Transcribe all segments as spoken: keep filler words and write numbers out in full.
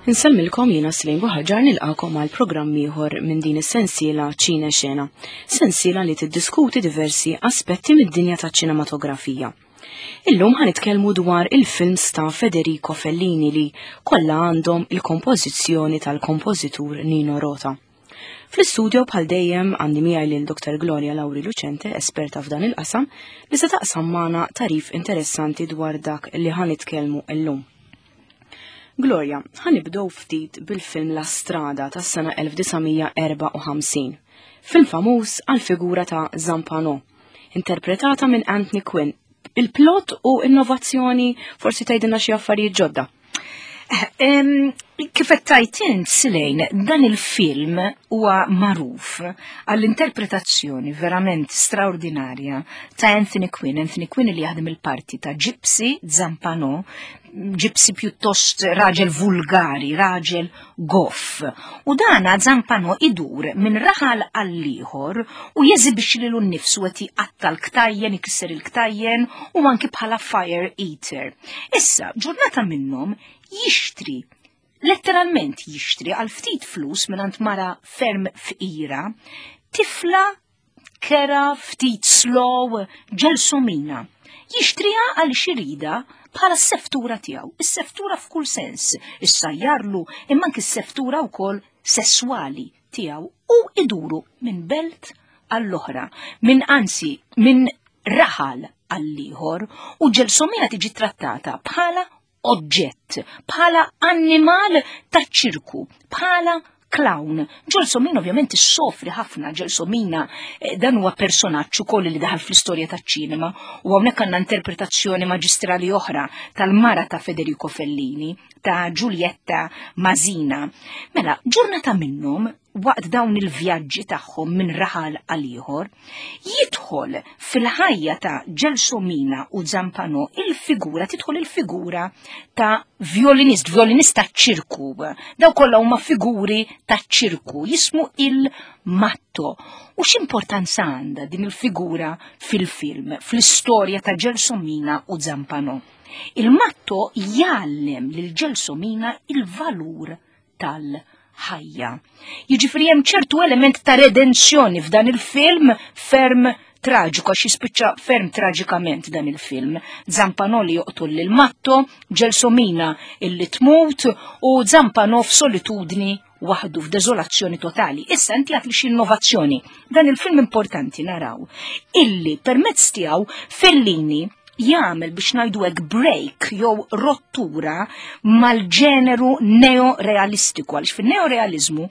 Insellmilkom, jiena Slejn Buħaġar, nilqakom għal programm ieħor minn din is-sensiela Ċine Xena, sensiela li tiddiskuti diversi aspetti mid-dinja taċ-ċinematografija. Illum ħa nitkellmu dwar il-films ta' Federico Fellini li kollha għandhom il-kompożizzjoni tal-kompożitur Nino Rota. Fl-istudio bħal dejjem għandi miegħi lil Doktor Gloria Lauri Lucente, esperta f'dan il-qasam, li se taqsam magħna tarif interessanti dwar dak li ħa nitkellmu illum. Gloria, ħa nibdew ftit bil-film La Strada tas-sena elf disa' mija erbgħa u ħamsin. Film famuż għal figura ta' Zampano, interpretata minn Anthony Quinn. Il-plot u innovazzjoni, forsi tgħidilna xi affarijiet ġodda. Kif qed tgħid int, Silejn, dan il-film huwa magħruf għall-interpretazzjoni verament straordinarja ta' Anthony Quinn. Anthony Quinn li jaħdem il-parti ta' Gypsy Zampano, gypsy pjuttost raġel vulgari, raġel goff. U dana Zampano idur minn raħal għall-ieħor u jeżibixxi lilu nnifsu qed jqatta' l-ktajjen, ikisser il-ktajjen u anki bħala fire eater. Issa, ġurnata minnhom jixtri, letteralment jixtri għal ftit flus minn mara ferm fqira, tifla kera ftit slow, Gelsomina. Jixtriha għal xirida bħala s-seftura tiegħu, is-seftura f'kull sens, issajjarlu imma anki s-seftura wkoll sesswali tiegħu, u iduru minn belt għall-oħra, minn, anzi, minn raħal għall-ieħor, u Gelsomina tiġi trattata bħala oġġett, bħala annimal ta' ċirku, bħala clown. Gelsomina ovvjament issofri ħafna. Gelsomina eh, dan huwa personaġġ ukoll li daħal fl-istorja taċ-ċinema u hawnhekk għandna interpretazzjoni maġistrali oħra tal-mara ta' Federico Fellini, ta' Giulietta Masina. Mela, ġurnata minnhom, waqt dawn il-vjaġġi tagħhom minn raħal għal ieħor, jidħol fil-ħajja ta' Gelsomina u Zampano il-figura, tidħol il-figura ta' violinist, violinist ta' ċirku. Daw kollha huma figuri ta' ċirku, jismu il-Matto. U x'importanza għandha din il-figura fil-film, fl-istorja ta' Gelsomina u Zampano? Il-Matto jgħallem lil Gelsomina il-valur tal- ħajja. Jiġifieri hemm ċertu element ta' redenzjoni f'dan il-film ferm traġiku, għax jispiċċa ferm traġikament dan il-film. Zampano li joqtol lil Matto, Gelsomina illi tmut u Zampano f'solitudni waħdu f'deżolazzjoni totali. Issa inti għedt li xi innovazzjoni. Dan il-film importanti naraw illi permezz tiegħu Fellini jagħmel, biex ngħidu hekk, break jew rottura mal-ġeneru neorealistiku, għaliex fin-neorealizmu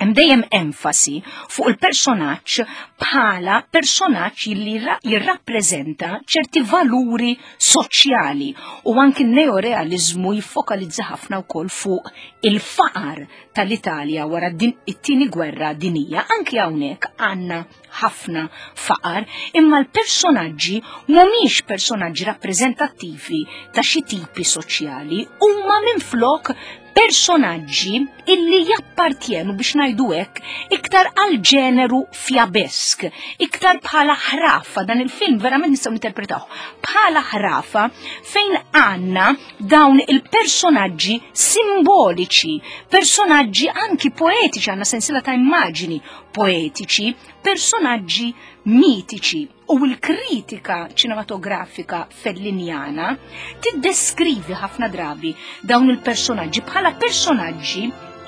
hemm dejjem enfasi fuq il-personaġġ bħala personaġġ li jirrappreżenta ċerti valuri soċjali u anki n-neorealizmu jiffokalizza ħafna wkoll fuq il-faqar tal-Italja wara it-tieni gwerra dinija. Anki hawnhekk għandna ħafna faqar, imma l-personaġġi mhumiex personaġġi rappreżentattivi ta' xi tipi soċjali, huma minflok personaġġi illi jappartjenu, biex ngħidu hekk, iktar għal ġeneru fjabesk, iktar bħala ħrafa. Dan il-film verament nistgħu interpretaw bħala ħrafa fejn għandna dawn il-personaġġi simboliċi, personaġġi anki poetiċi, għandna sensiela ta' immaġini poetiċi, personaġġi mitiċi, u l-kritika ċinematografika fellinjana tiddeskrivi ħafna drabi dawn il-personaġġi bħala personaġġi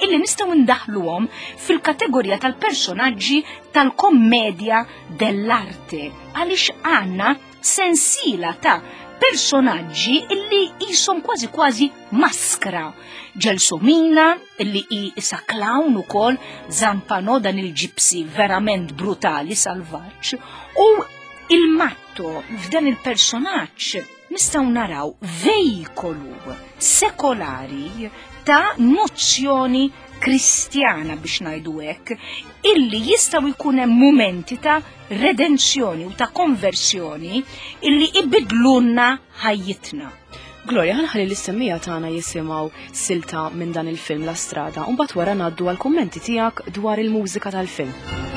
illi nistgħu ndaħluhom fil-kategorija tal-personaġġi tal-kommedja dell'arte, għaliex għandna sensiela ta' personaġġi illi jisom kważi kważi maskra. Gelsomina, illi hi isa clown ukoll, Zampano, dan il-gypsy verament brutali, salvaġġ, u il-Matto. F'dan il-personaġġ nistgħu naraw vejkolu sekolari ta' nozzjoni kristjana, biex ngħidu hekk, illi jistgħu jkun hemm momenti ta' redenzjoni u ta' konversjoni illi ibidlunna ħajjitna. Gloria, ħa nħalli lis-semmiegħa tagħna jisimgħu silta minn dan il-film La Strada u mbagħad wara ngħaddu għal kummenti tiegħek dwar il-mużika tal-film.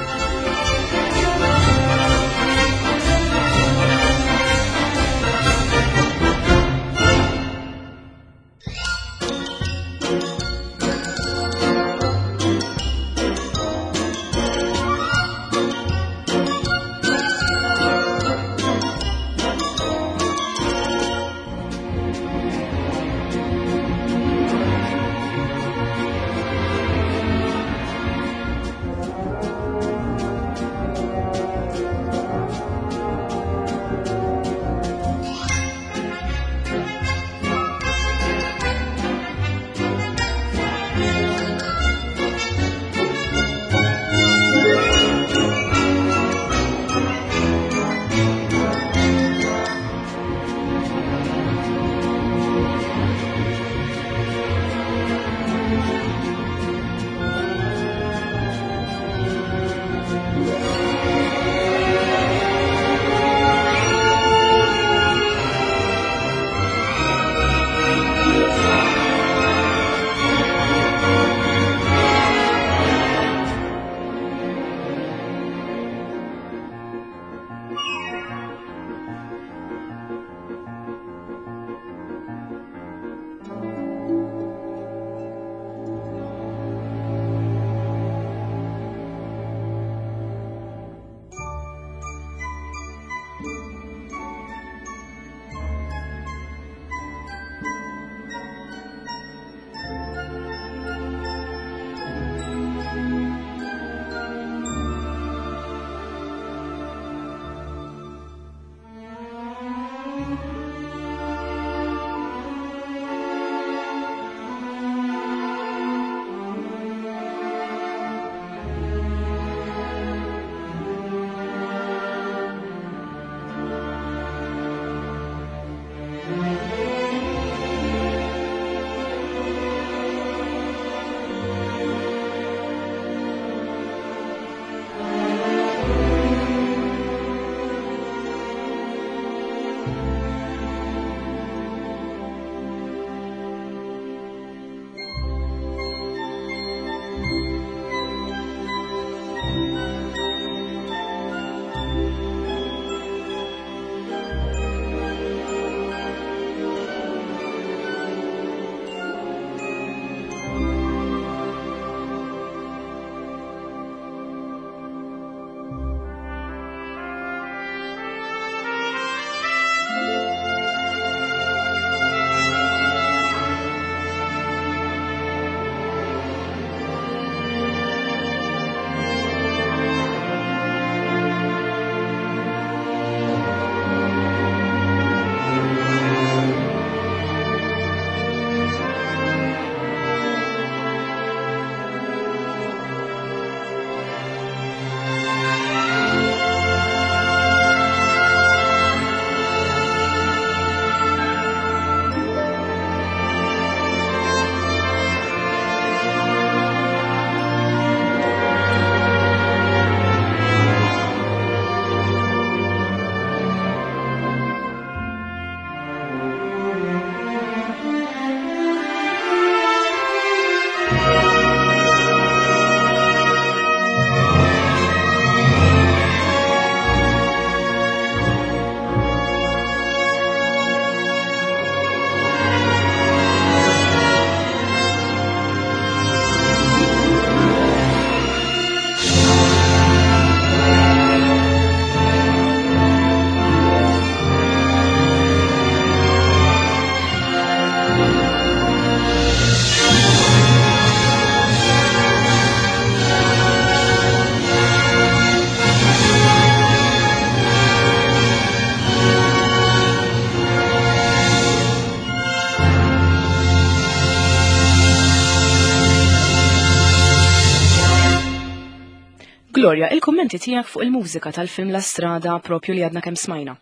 Gloria, il-kummenti tiegħek fuq il-mużika tal-film La Strada propju li għadna kemm smajna.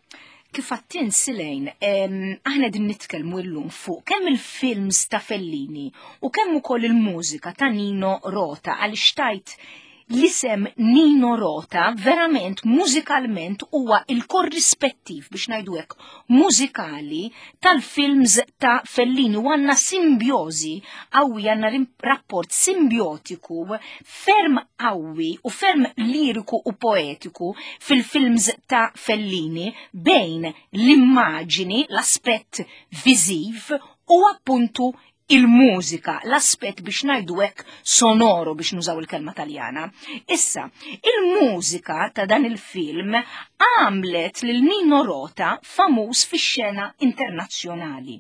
Kif għattin Silejn, aħna din nitkellmu llum fuq kemm il-films ta' Fellini u kemm ukoll il-mużika ta' Nino Rota, għaliex tajt l-isem Nino Rota verament mużikalment huwa il-korrispettiv biex ngħidu hekk mużikali tal-films ta' Fellini, u għandna simbjożi qawwi, għandna rapport simbjotiku ferm qawwi u ferm liriku u poetiku fil-films ta' Fellini bejn l-immaġini, l-aspett viżiv u appuntu il-mużika, l-aspett biex ngħidu hekk sonoro, biex nużaw il-kelma Taljana. Issa, il-mużika ta' dan il-film għamlet lil Nino Rota famuż fix-xena internazzjonali.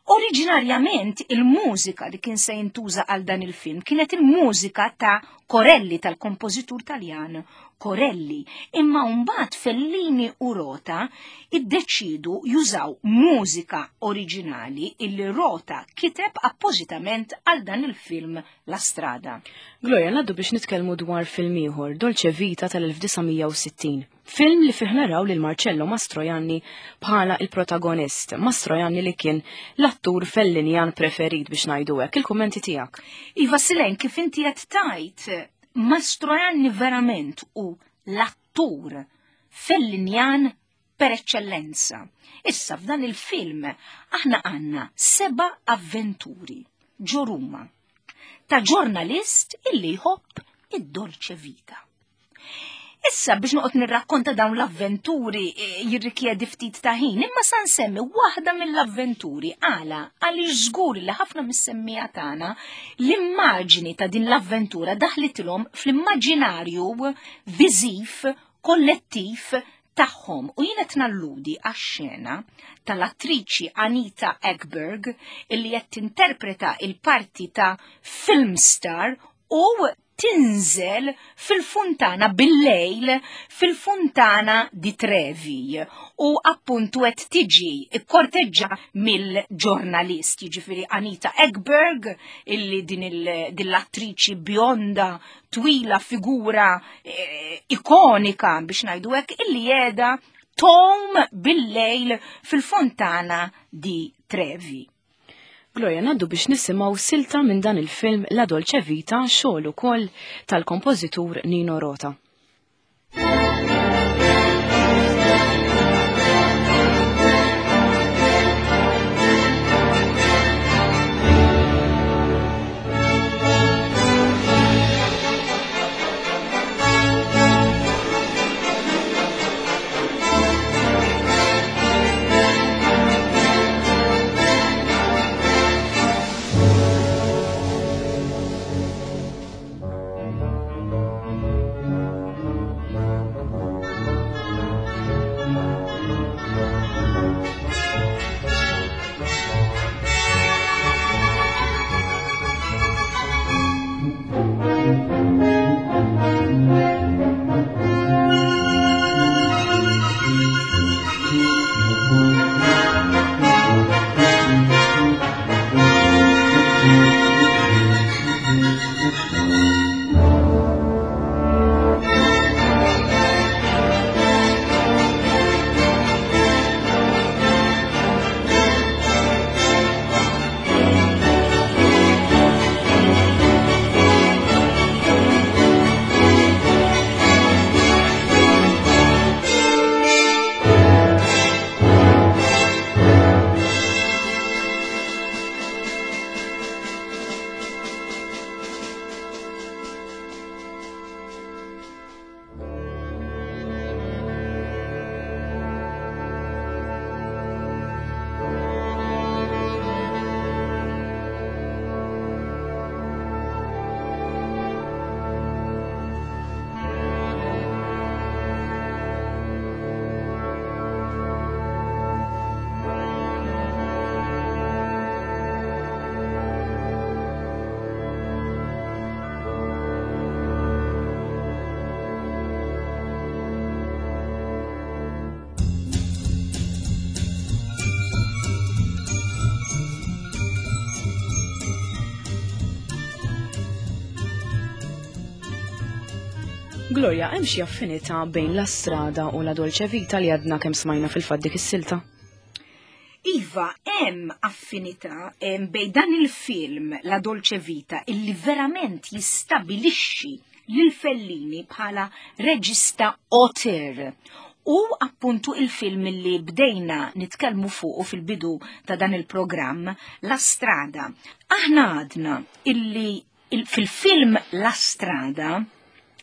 Oriġinarjament il-mużika li kien se jintuża għal dan il-film kienet il-mużika ta' Corelli, tal-kompożitur Taljan Corelli, imma mbagħad Fellini u Rota iddeċidu jużaw mużika oriġinali illi Rota kiteb appożitament għal dan il-film La Strada. Gloria, ngħaddu biex nitkellmu dwar film ieħor, Dolce Vita tal-elf disa' mija u sittin. Film li fih naraw lil Marcello Mastroianni bħala il-protagonist. Mastroianni li kien l-attur Fellinjan preferit biex ngħidu hekk. Il-kummenti tiegħek. Iva Silejn, kif inti qed tajt, Mastroianni verament u l-attur Fellinjan per eccellenza. Issa f'dan il-film aħna għandna seba' avventuri ġo Ruma ta' ġurnalist illi jħobb id-Dolce Vita. Issa biex noqgħod nirrakkonta dawn l-avventuri, eh, jirrikjedi ftit ta' ħin, imma sa nsemmi waħda mill-avventuri għala għaliex żgur li ħafna mis-semmija tagħna l-immaġni ta' din l-avventura daħlitilhom fl-immaġinarju viżiv kollettiv tagħhom. U jien qed nalludi għax-xena tal-attriċi Anita Ekberg illi qed tinterpreta il-parti ta' film star u tinżel fil-funtana bil-lejl fil-funtana di Trevi u appuntu qed tiġi ikkorteġġa mill-ġurnalist, jiġifieri Anita Ekberg illi din il-, din l-attriċi bionda twila figura, eh, ikonika biex ngħidu hekk illi qiegħda tom bil-lejl fil-fontana di Trevi. Gloria, ngħaddu biex nisimgħu silta minn dan il-film La Dolce Vita, xogħol ukoll tal-kompożitur Nino Rota. Gloria, hemm xi affinità bejn La Strada u La Dolce Vita li għadna kemm smajna fil-fatt dik is-silta? Iva, hemm affinità bejn dan il-film La Dolce Vita illi verament jistabilixxi lil Fellini bħala reġista auteur. U appuntu il-film li bdejna nitkellmu fuqu fil-bidu ta' dan il-programm, La Strada. Aħna għadna illi fil-film La Strada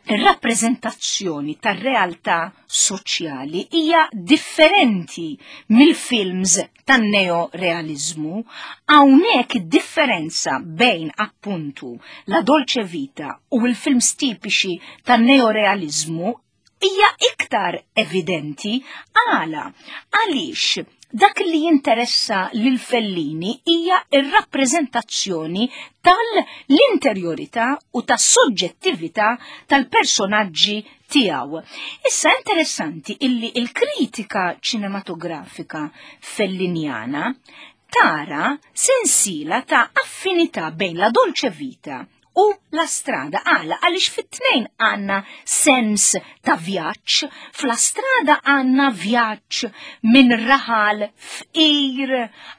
ir-rappreżentazzjoni tar-realtà soċjali hija differenti mill-films tan-neorealizmu. Hawnhekk id-differenza bejn appuntu La Dolce Vita u l-films tipiċi tan-neorealizmu hija iktar evidenti. Għala, għaliex dak li jinteressa lil Fellini hija ir-rappreżentazzjoni tal-interjorità u tas-soġġettività tal-personaġġi tiegħu. Issa interessanti illi il-kritika ċinematografika fellinjana tara sensiela ta' affinità bejn La Dolce Vita u La Strada. Għala, għaliex fit-tnejn għandna sens ta' vjaġġ, f'La Strada għandna vjaġġ minn raħal fqir,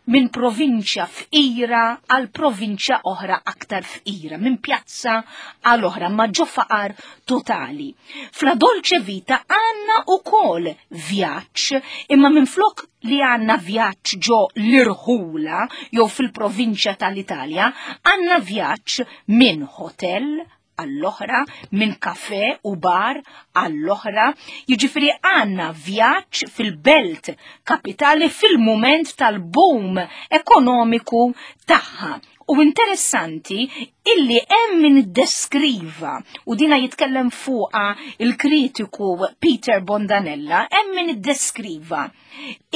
minn provinċja fqira għal provinċja oħra aktar fqira, minn pjazza għal oħra, ma ġo faqar totali. F'La Dolce Vita għandna ukoll vjaġġ, imma minn flok li għandna vjaġġ ġo l-irħula jew fil-provinċja tal-Italja, għandna vjaġġ minn hotel għall-oħra, minn kafe u bar għall-oħra, jiġifieri għandna vjaġġ fil-belt kapitali fil-mument tal-boom ekonomiku tagħha. U interessanti illi hemm min iddeskriva, u dina jitkellem fuqa il-kritiku Peter Bondanella, hemm min iddeskriva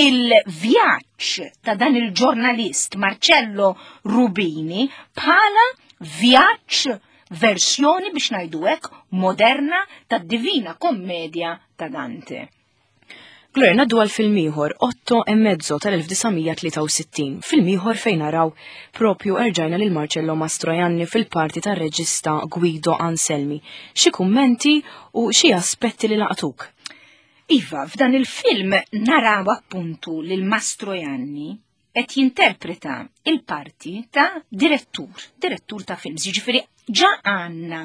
il-vjaġġ ta' dan il-ġurnalist Marcello Rubini bħala vjaġġ versjoni, biex ngħidu hekk, moderna tad-Divina Kommedja ta' Dante. Gloria, ngħaddu għal film ieħor, Otto e mezzo tal-elf disa' mija tlieta u sittin, film ieħor fejn naraw propju erġajna lil Marcello Mastroianni fil-parti tar-reġista Guido Anselmi. Xi kummenti u xi aspetti li laqtuk? Iva, f'dan il-film naraw appuntu lil Mastroianni qed jinterpreta il-parti ta' direttur, direttur ta' films, jiġifieri ġa għandna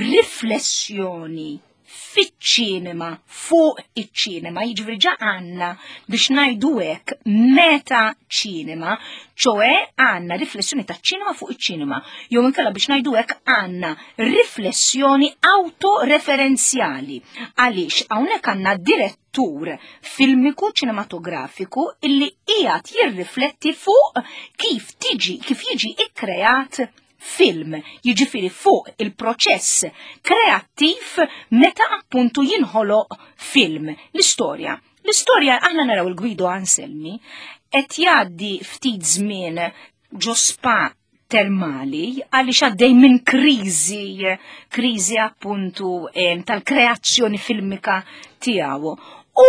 riflessjoni fiċ-ċinema, fuq iċ-ċinema, jiġifieri ġa għandna biex ngħidu hekk meta ċinema, ċoe għandna riflessjoni ta' ċinema fuq iċ-ċinema, jew inkella biex ngħidu hekk għandna riflessjoni autoreferenzjali, għaliex hawnhekk għandna direttur filmiku ċinematografiku illi qiegħed jirrifletti fuq kif tiġi, kif jiġi ikkreat film, jiġifieri fuq il-proċess kreattiv meta appuntu jinħoloq film. L-istorja. L-istorja aħna naraw il-Guido Anselmi qed jgħaddi ftit żmien ġo spa termali għaliex għaddej minn kriżi, kriżi appuntu, em, tal-kreazzjoni filmika tiegħu. U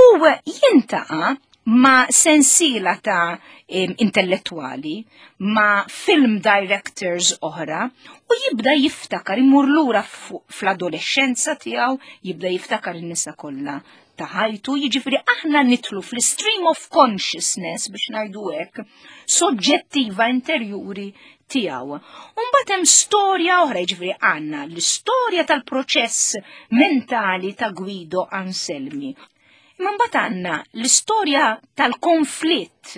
jintaqa' ma' sensiela ta' em, intellettuali, ma' film directors oħra, u jibda jiftakar, imur lura fu-, fl-adolescenza tiegħu, jibda jiftakar in-nisa kollha ta' ħajtu, jiġifieri aħna nitlu fl-stream of consciousness, biex ngħidu hekk, soġġettiva interjuri tiegħu. U mbagħad hemm storja oħra, jiġifieri għandna l-istorja tal-proċess mentali ta' Guido Anselmi. Imma mbagħad għandna l-istorja tal-konflitt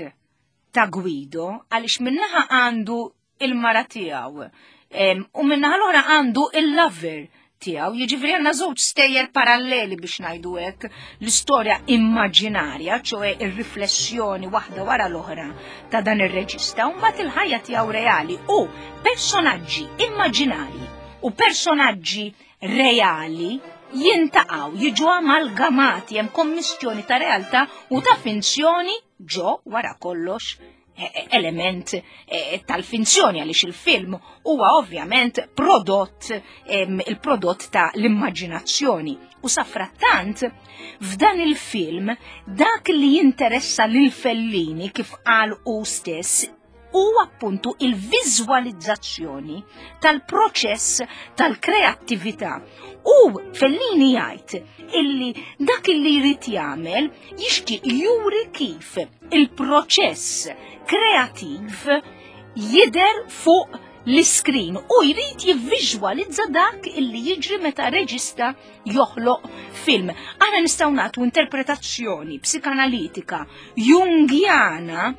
ta' Guido, għaliex minnaħa għandu il-mara tiegħu, em, u minnaħa l-oħra għandu il-lover tiegħu, jiġifieri għandna żewġ stejjer paralleli biex ngħidu hekk, l-istorja immaġinarja, ċoe ir-riflessjoni waħda wara l-oħra ta' dan ir-reġista, u mbagħad il-ħajja tiegħu reali u personaġġi immaġinarji u personaġġi reali jintaqgħu, jiġu amalgamati, hemm kommissjoni ta' realtà u ta' finzjoni ġo wara kollox e-, e-, element, e, tal-finzjoni, għaliex il-film huwa ovvjament prodott, em, il-prodott ta' l-immaġinazzjoni. U safrattant, f'dan il-film, dak li jinteressa lil Fellini, kif qal hu stess, u appuntu il-viżwalizzazzjoni tal-proċess tal-kreattività. U Fellini jgħid illi dak illi jrid jagħmel jixtieq juri kif il-proċess kreattiv jidher fuq l-iskrin u jrid jivviżwalizza dak illi jiġri meta reġista joħloq film. Aħna nistgħu nagħtu interpretazzjoni psikanalitika jungjana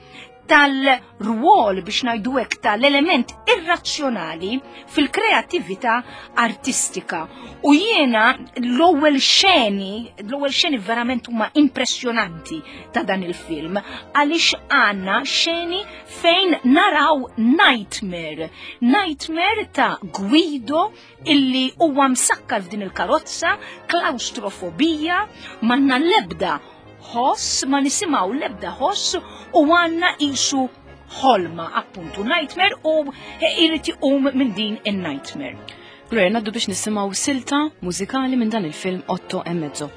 tal-rwol biex ngħidu hekk tal-element irrazzjonali fil-kreattività artistika. U jiena l-ewwel xeni, l-ewwel xeni verament huma impressjonanti ta' dan il-film, għaliex għandna xeni fejn naraw nightmare, nightmare ta' Guido illi huwa msakkar f'din il-karozza, klaustrofobija, m'għandna l-ebda ħoss, ma nisimgħu l-ebda ħoss u għandna isu ħolma, appuntu nightmare, u irid iqum minn din in-nightmare. Gloria, ngħaddu biex nisimgħu silta mużikali minn dan il-film Otto e Mezzo.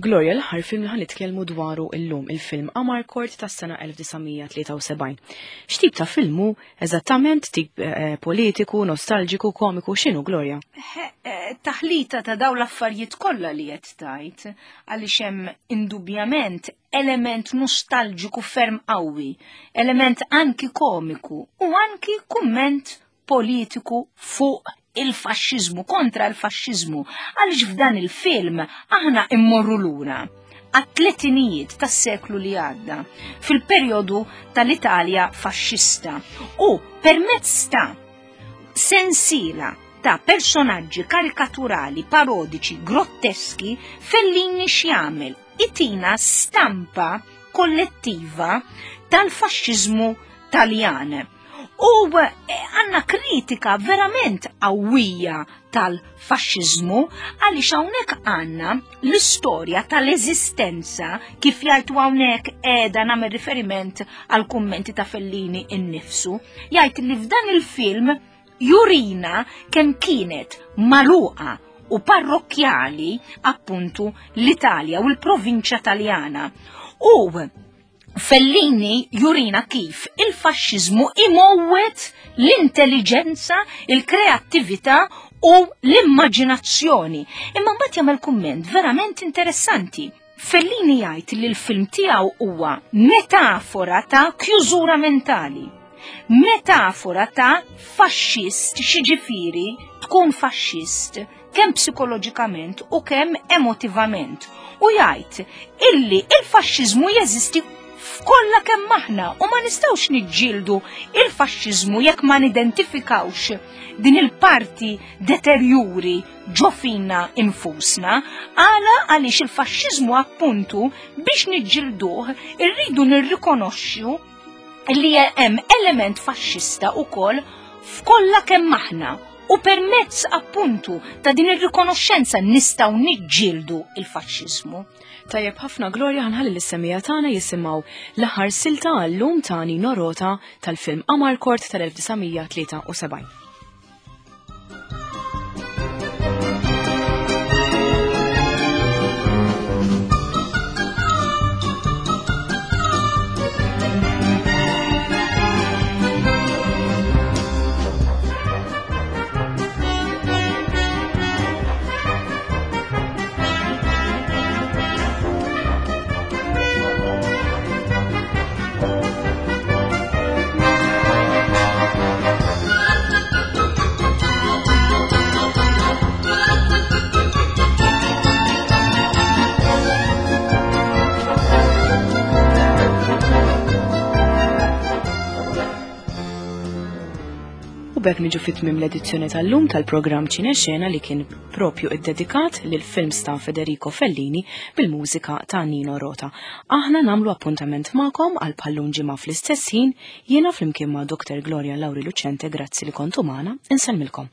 Gloria, l-aħħar film li ħanitkellmu dwaru illum, il-film Amarcord tas-sena elf disa' mija tlieta u sebgħin. X'tip ta' film hu eżattament? Tip, eh, politiku, nostalġiku, komiku, x'inhu, Gloria? Eh, taħlita ta' dawn l-affarijiet kollha li qed tajt, għaliex hemm indubjament element nostalġiku ferm qawwi, element anki komiku u anki kumment politiku fuq il-faxxiżmu, kontra l-faxxiżmu, għaliex f'dan il-film aħna immorru lura għat-tletinijiet tas-seklu li għadda, fil-perjodu tal-Italja faxxista, u permezz ta' sensiela ta' personaġġi karikaturali, parodiċi, grotteski, Fellini x'jagħmel? Itina stampa kollettiva tal-faxxiżmu Taljan. U għanna kritika verament qawwija tal-faxxiżmu, għaliex hawnhekk għandna l-istorja tal-eżistenza, kif jgħidu hawnhekk qiegħda nagħmel riferiment għal kummenti ta' Fellini innifsu, jgħid li f'dan il-film jurina kemm kienet magħluqa u parrokkjali appuntu l-Italja u l-provinċja Taljana. U Fellini jurina kif il-faxxiżmu imowwet l-intelligenza, il-kreattività u l-immaġinazzjoni. Imma mbagħad jagħmel kumment verament interessanti. Fellini jgħid li l-film tiegħu huwa metafora ta' kjużura mentali, metafora ta' faxxist, xiġifieri tkun faxxist kemm psikoloġikament u kemm emotivament. U jgħid illi il-faxxiżmu jeżisti f'kollha kemm aħna u ma nistgħux niġġieldu il-faxxiżmu jekk ma nidentifikawx din il-parti deterjuri ġo fina infusna, għala għaliex il-faxxiżmu appuntu biex niġġielduh irridu nirrikonoxxu li hemm element faxxista wkoll f'kollha kemm aħna. U permezz appuntu ta' din ir-rikonoxxenza nistgħu niġġieldu il-faxxiżmu. Tajjeb ħafna, Gloria, ħanħalli lis-semija tagħna jisimgħu l-aħħar silta għallum ta' Nino Rota tal-film Amarcord tal-elf disa' mija tlieta u sebgħin. B'hekk niġu fit-tmiem l-edizzjoni tal-lum tal-programm Ċinexena li kien propju iddedikat lil films ta' Federico Fellini bil-mużika ta' Nino Rota. Aħna nagħmlu appuntament magħkom għal bħallum ġimgħa fl-istess ħin, jiena flimkien ma' Doktor Gloria Lauri Lucente, grazzi li kontu magħna, insellmilkom.